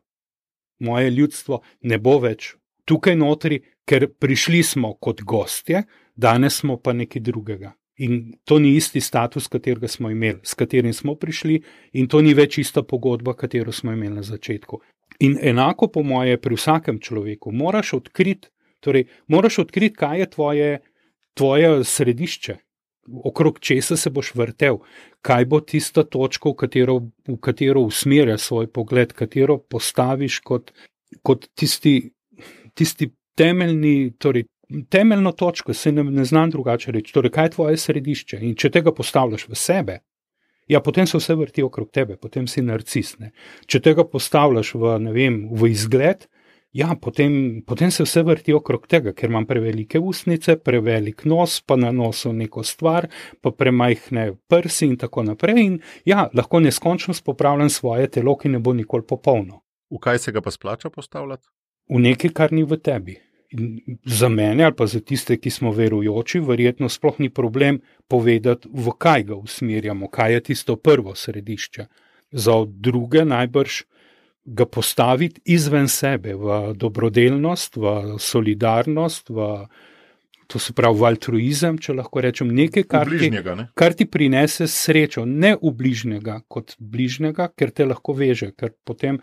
Moje ljudstvo ne bo več tukaj notri, ker prišli smo kot gostje, danes smo pa nekaj drugega. In to ni isti status, katerega smo imeli, s katerim smo prišli, in to ni več ista pogodba, katero smo imeli na začetku. In enako po moje pri vsakem človeku moraš odkriti, torej moraš odkriti, kaj je tvoje, tvoje središče, okrog česa se boš vrtel, kaj bo tista točka, v katero, v katero usmerja svoj pogled, katero postaviš kot, kot tisti, tisti temeljni, torej temeljno točko, se ne, ne znam drugače reči, torej kaj je tvoje središče in če tega postavljaš v sebe, ja, potem se vse vrti okrog tebe, potem si narcis, ne. Če tega postavljaš v, ne vem, v izgled, ja, potem, potem se vse vrti okrog tega, ker imam prevelike usnice, prevelik nos, pa na nosu neko stvar, pa premajhne prsi in tako naprej in ja, lahko neskončno popravljam svoje telo, ki ne bo nikoli popolno. V kaj se ga pa splača postavljati? V nekaj, kar ni v tebi. In za mene ali pa za tiste, ki smo verujoči, verjetno sploh ni problem povedati, v kaj ga usmerjamo, kaj je tisto prvo središče. Za druge najbrž ga postaviti izven sebe, v dobrodelnost, v solidarnost, v, to se pravi v altruizem, če lahko rečem, nekaj, kar, bližnjega, ne? ti, kar ti prinese srečo, ne v bližnjega kot bližnjega, ker te lahko veže, ker potem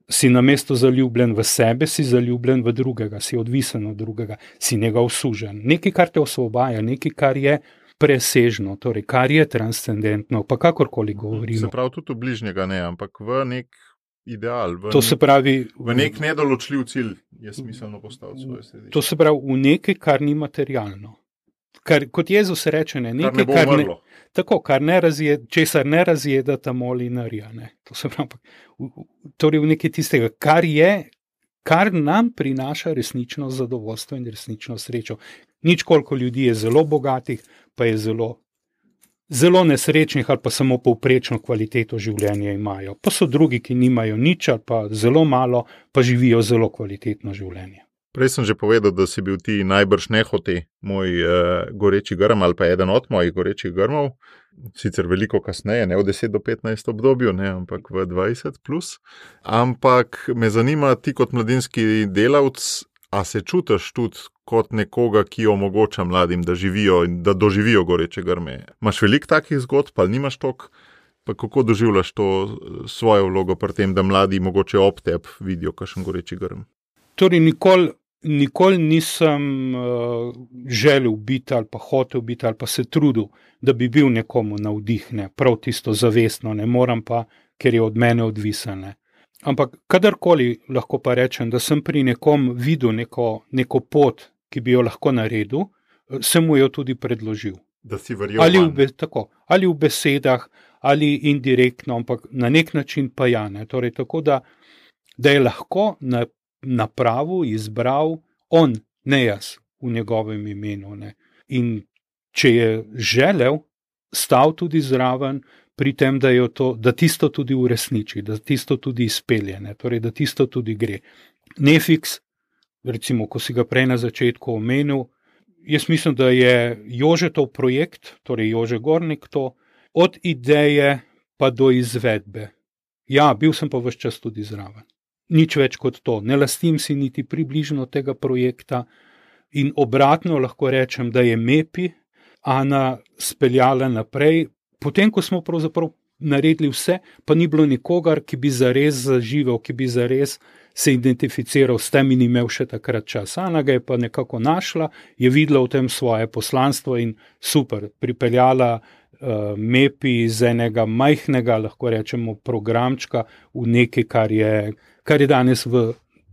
si namesto zaljubljen v sebe, si zaljubljen v drugega, si odvisen od drugega, si njega usužen. Nekaj, kar te osvobaja, nekaj, kar je presežno, torej kar je transcendentno, pa kakorkoli govorimo. Se pravi tudi v bližnjega ne, ampak v nek ideal, v, to se pravi, v nek nedoločljiv cilj je smiselno postaviti svoje središče. To se pravi v nekaj, kar ni materialno. Kar, kot Jezus reče, ne, nekaj, kar ne bo umrlo. Tako, kar ne razjed, česar ne razjeda ta molinarja. Ne. To se pravi, torej v nekaj tistega, kar je, kar nam prinaša resnično zadovoljstvo in resnično srečo. Nič koliko ljudi je zelo bogatih, pa je zelo, zelo nesrečnih ali pa samo povprečno kvaliteto življenja imajo. Pa so drugi, ki nimajo nič ali pa zelo malo, pa živijo zelo kvalitetno življenje. Prej sem že povedal, da si bil ti najbrž nehote moj uh, goreči grm ali pa eden od mojih gorečih grmov, sicer veliko kasneje, ne v deset do petnajst obdobju, ne, ampak v dvajset plus. Ampak me zanima, ti kot mladinski delavc, a se čutiš tudi kot nekoga, ki omogoča mladim, da živijo in da doživijo goreče grme? Imaš veliko takih zgodb, pa nimaš toliko? Pa kako doživljaš to svojo vlogo pri tem, da mladi mogoče ob tebi vidijo kakšen goreči grm? Torej, nikoli nikoli nisem uh, želel biti ali pa hotel biti ali pa se trudil, da bi bil nekomu navdih, ne, prav tisto zavestno, ne moram pa, ker je od mene odvisen. Ne. Ampak kadarkoli lahko pa rečem, da sem pri nekom videl neko, neko pot, ki bi jo lahko naredil, sem mu jo tudi predložil. Da si verjel ali, vanj. v, tako, ali v besedah, ali indirektno, ampak na nek način pa ja. Ne. Torej, tako da, da je lahko na napravo izbral on, ne jaz, v njegovem imenu. Ne. In če je želel, stal tudi zraven pri tem, da, jo to, da tisto tudi uresniči, da tisto tudi izpelje, ne. Torej, da tisto tudi gre. Nefiks, recimo, ko si ga prej na začetku omenil, jaz mislim, da je Jožetov projekt, torej Jože Gornik to, od ideje pa do izvedbe. Ja, bil sem pa ves čas tudi zraven. Nič več kot to. Ne lastim si niti približno tega projekta in obratno lahko rečem, da je Mepi Ana speljala naprej, potem, ko smo pravzaprav naredili vse, pa ni bilo nikogar, ki bi zares zaživel, ki bi zares se identificiral s tem in imel še takrat čas. Ana ga je pa nekako našla, je videla v tem svoje poslanstvo in super, pripeljala uh, Mepi iz enega majhnega, lahko rečemo, programčka v nekaj, kar je, kar je danes v,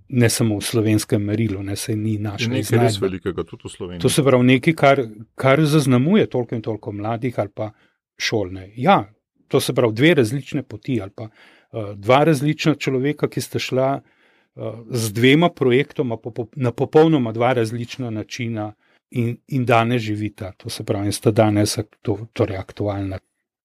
ne samo v slovenskem merilu, ne, se ni našla Nekaj iznajdba. res velikega, tudi v Sloveniji. To se pravi nekaj, kar, kar zaznamuje toliko in toliko mladih ali pa šolne. Ja, to se pravi dve različne poti ali pa uh, dva različna človeka, ki sta šla uh, z dvema projektoma po, po, na popolnoma dva različna načina in, in danes živita. To se pravi, in sta danes to, torej aktualna.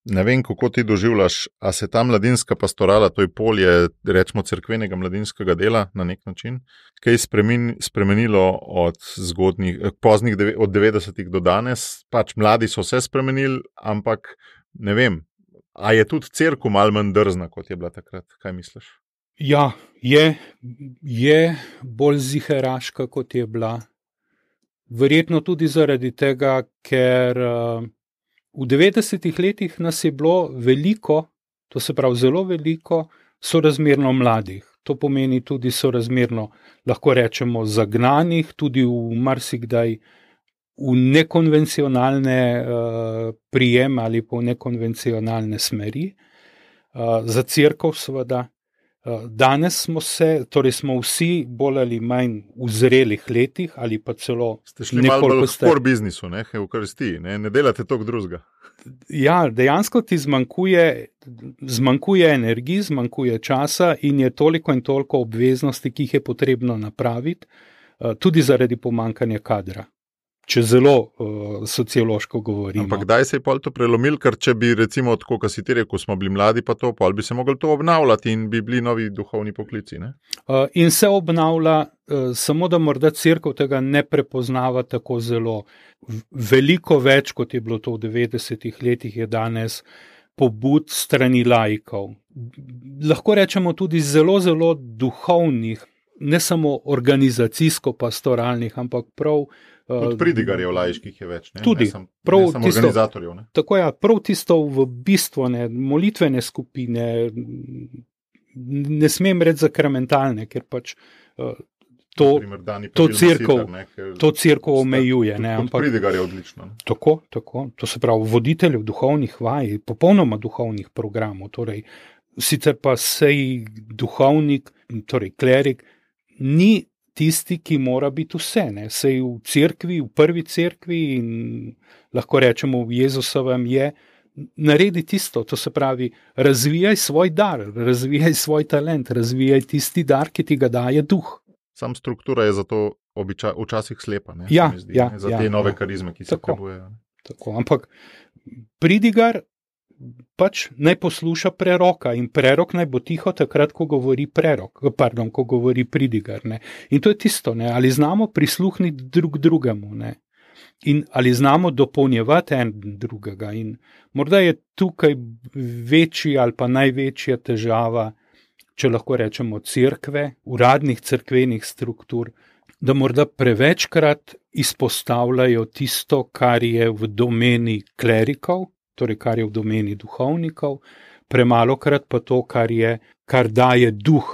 Ne vem, kako ti doživljaš, a se ta mladinska pastorala, to je polje, rečemo, cerkvenega mladinskega dela na nek način, kaj je spremen, spremenilo od zgodnjih, poznih deve, od devetdesetih do danes, pač mladi so se spremenili, ampak ne vem, a je tudi cerkev malo manj drzna, kot je bila takrat, kaj misliš? Ja, je, je bolj ziheraška, kot je bila. Verjetno tudi zaradi tega, ker uh, v devetdesetih letih nas je bilo veliko, to se pravi zelo veliko, sorazmerno mladih. To pomeni tudi sorazmerno, lahko rečemo, zagnanih, tudi v marsikdaj v nekonvencionalne uh, prijeme ali pa v nekonvencionalne smeri. Uh, za cerkev seveda. Uh, danes smo se, torej smo vsi bolj ali manj v zrelih letih ali pa celo ste šli malo bolj v core biznisu, ne, v krsti, ne, ne delate toliko drugega. Ja, dejansko ti zmanjkuje, zmanjkuje energiji, zmanjkuje časa in je toliko in toliko obveznosti, ki jih je potrebno napraviti, uh, tudi zaradi pomanjkanja kadra. Če zelo uh, sociološko govorimo. Ampak kdaj se je pol to prelomil, ker če bi recimo, tako kot si ti rekel, smo bili mladi pa to, pol bi se mogli to obnavljati in bi bili novi duhovni poklici, ne? Uh, in se obnavlja, uh, samo da morda cerkev tega ne prepoznava tako zelo. Veliko več, kot je bilo to v devetdesetih letih, je danes pobud strani laikov. Lahko rečemo tudi zelo, zelo duhovnih, ne samo organizacijsko-pastoralnih, ampak prav Tudi pridigarjev laiških je več, ne? Tudi, ne sam, prav ne samo tisto, organizatorjev. Ne? Tako ja, prav tisto v bistvu, ne, molitvene skupine, ne smem reči zakramentalne, ker pač uh, to, to cerkev, to cerkev omejuje. Ne, ampak pridigar je odlično. Ne? Tako, tako, to se pravi voditeljev duhovnih vaj, popolnoma duhovnih programov, torej sicer pa sej duhovnik, torej klerik, ni tisti, ki mora biti vse, ne, sej v cerkvi, v prvi cerkvi in lahko rečemo v Jezusovem je, naredi tisto, to se pravi, razvijaj svoj dar, razvijaj svoj talent, razvijaj tisti dar, ki ti ga daje duh. Sam struktura je zato običa, včasih slepa, ne, ja, zdi, ja, ne, za ja, te nove ja. karizme, ki se potrebujejo. Tako, ampak pridigar pač naj posluša preroka in prerok naj bo tiho takrat, ko govori prerok, pardon, ko govori pridigar, ne. In to je tisto, ne, ali znamo prisluhniti drug drugemu, ne. In ali znamo dopolnjevati en drugega in morda je tukaj večji ali pa največja težava, če lahko rečemo cerkve, uradnih cerkvenih struktur, da morda prevečkrat izpostavljajo tisto, kar je v domeni klerikov, torej kar je v domeni duhovnikov, premalokrat pa to, kar je, kar daje duh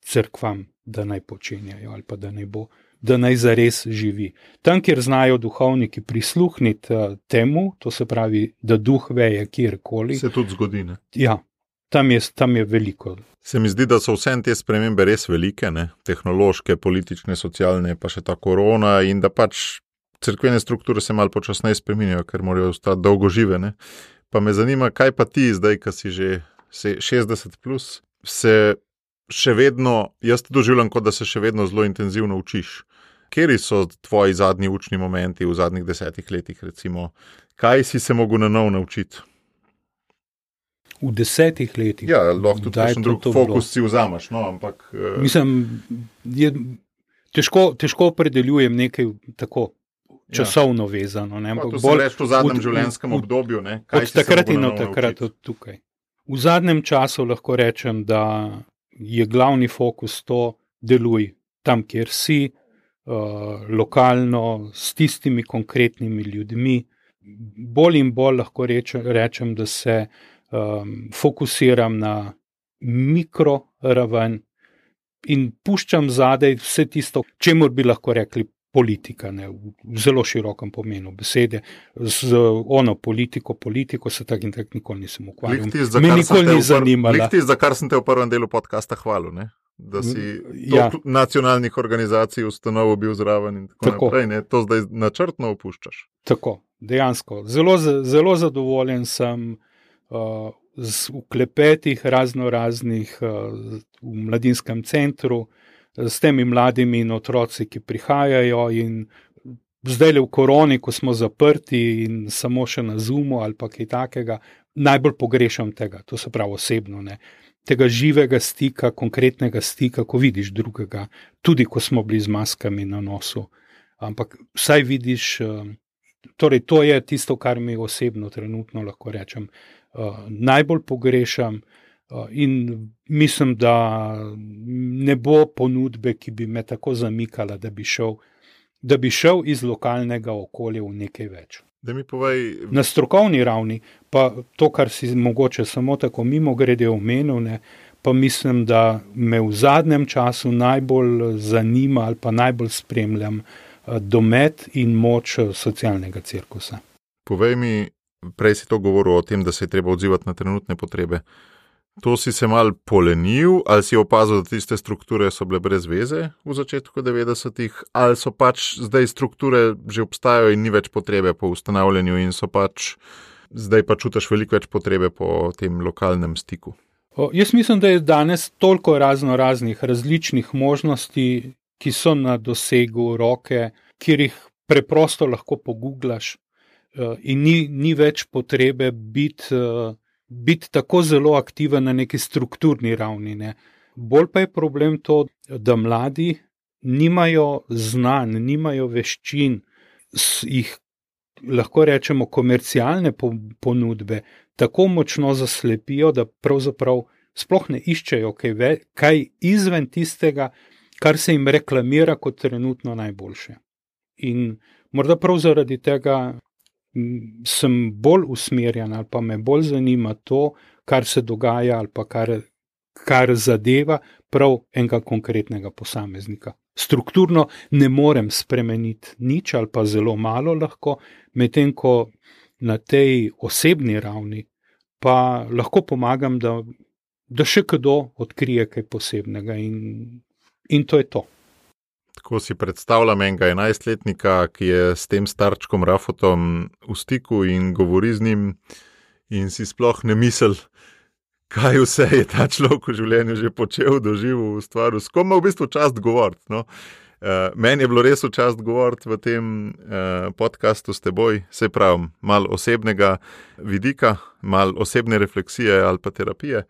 cerkvam, da naj počenjajo ali pa da naj bo da naj zares živi. Tam, kjer znajo duhovniki prisluhniti temu, to se pravi, da duh veje kjerkoli. Se tudi zgodi, ne? Ja, tam je, tam je veliko. Se mi zdi, da so vse te spremembe res velike, ne? Tehnološke, politične, socialne, pa še ta korona in da pač cerkvene strukture se malo počasneje spreminjajo, ker morajo ostati dolgo žive, ne? Pa me zanima, kaj pa ti zdaj, ko si že šestdeset plus, se še vedno, jaz to doživljam, kot da se še vedno zelo intenzivno učiš. Kjeri so tvoji zadnji učni momenti v zadnjih desetih letih, recimo? Kaj si se mogel na nov naučiti? V desetih letih? Ja, lahko tudi kakšen drug fokus si vzamaš, no, ampak... Mislim, je, težko, težko opredeljujem nekaj tako časovno ja. vezano. Ne? To se reči v zadnjem življenjskem obdobju, ne? Kaj od takrat in od takrat od tukaj. V zadnjem času lahko rečem, da je glavni fokus to, deluj tam, kjer si, uh, lokalno, s tistimi konkretnimi ljudmi. Bolj in bolj lahko rečem, rečem da se um, fokusiram na mikroraven in puščam zadaj vse tisto, čemur bi lahko rekli politika, ne, v zelo širokem pomenu besede, z ono politiko, politiko se tak in tak nikoli nisem ukvarjal. Me nikoli ni zanimala. Likti, za kar sem te v prvem delu podcasta hvalil, ne? Da si ja. nacionalnih organizacij ustanovil bil zraven in tako, tako. naprej, ne? To zdaj načrtno opuščaš. Tako, dejansko. Zelo, zelo zadovoljen sem uh, z vklepetih razno raznih uh, v mladinskem centru, s temi mladimi in otroci, ki prihajajo in zdaj le v koroni, ko smo zaprti in samo še na Zoomu ali pa kaj takega, najbolj pogrešam tega, to se pravi osebno, ne, tega živega stika, konkretnega stika, ko vidiš drugega, tudi ko smo bili z maskami na nosu, ampak vsaj vidiš, torej to je tisto, kar mi osebno trenutno lahko rečem, najbolj pogrešam. In mislim, da ne bo ponudbe, ki bi me tako zamikala, da bi šel, da bi šel iz lokalnega okolja v nekaj več. Da mi povej... Na strokovni ravni, pa to, kar si mogoče samo tako mimo grede omenil, ne, pa mislim, da me v zadnjem času najbolj zanima ali pa najbolj spremljam domet in moč socialnega cirkusa. Povej mi, prej si to govoril o tem, da se je treba odzivati na trenutne potrebe. To si se mal polenil, ali si opazil, da tiste strukture so bile brez veze v začetku devetdesetih, ali so pač zdaj strukture že obstajajo in ni več potrebe po ustanavljanju in so pač, zdaj pa čutiš veliko več potrebe po tem lokalnem stiku? O, jaz mislim, da je danes toliko razno raznih različnih možnosti, ki so na dosegu roke, kjer jih preprosto lahko poguglaš in ni, ni več potrebe biti biti tako zelo aktiven na neki strukturni ravni. Ne. Bolj pa je problem to, da mladi nimajo znanj, nimajo veščin, jih lahko rečemo komercialne ponudbe, tako močno zaslepijo, da pravzaprav sploh ne iščejo kaj, ve, kaj izven tistega, kar se jim reklamira kot trenutno najboljše. In morda prav zaradi tega sem bolj usmerjen ali pa me bolj zanima to, kar se dogaja ali pa kar, kar zadeva prav enega konkretnega posameznika. Strukturno ne morem spremeniti nič ali pa zelo malo lahko, medtem ko na tej osebni ravni pa lahko pomagam, da, da še kdo odkrije kaj posebnega in, in to je to. Tako si predstavljam enega enajstletnika, ki je s tem starčkom Rafotom v stiku in govori z njim in si sploh ne misel, kaj vse je ta človek v življenju že počel, doživel, ustvaril. S kom ima v bistvu čast govoriti, no? Uh, meni je bilo res v čast govoriti v tem uh, podcastu s teboj, se pravim, malo osebnega vidika, malo osebne refleksije ali pa terapije.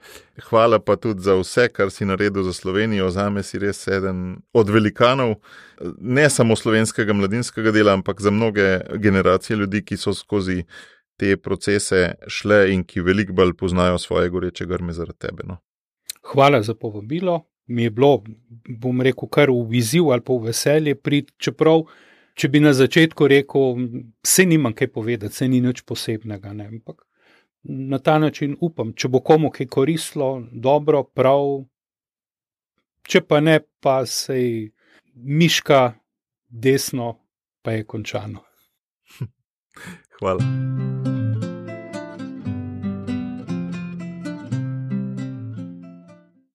Hvala pa tudi za vse, kar si naredil za Slovenijo. Zame si res eden od velikanov, ne samo slovenskega mladinskega dela, ampak za mnoge generacije ljudi, ki so skozi te procese šle in ki veliko bolj poznajo svoje goreče grme zaradi tebe. No? Hvala za povabilo. Mi je bilo, bom rekel, kar v izziv ali pa v veselje priti, čeprav, če bi na začetku rekel, se nimam kaj povedati, se ni nič posebnega, ne, ampak na ta način upam, če bo komu kaj koristilo, dobro, prav, če pa ne, pa sej miška desno pa je končano. Hvala.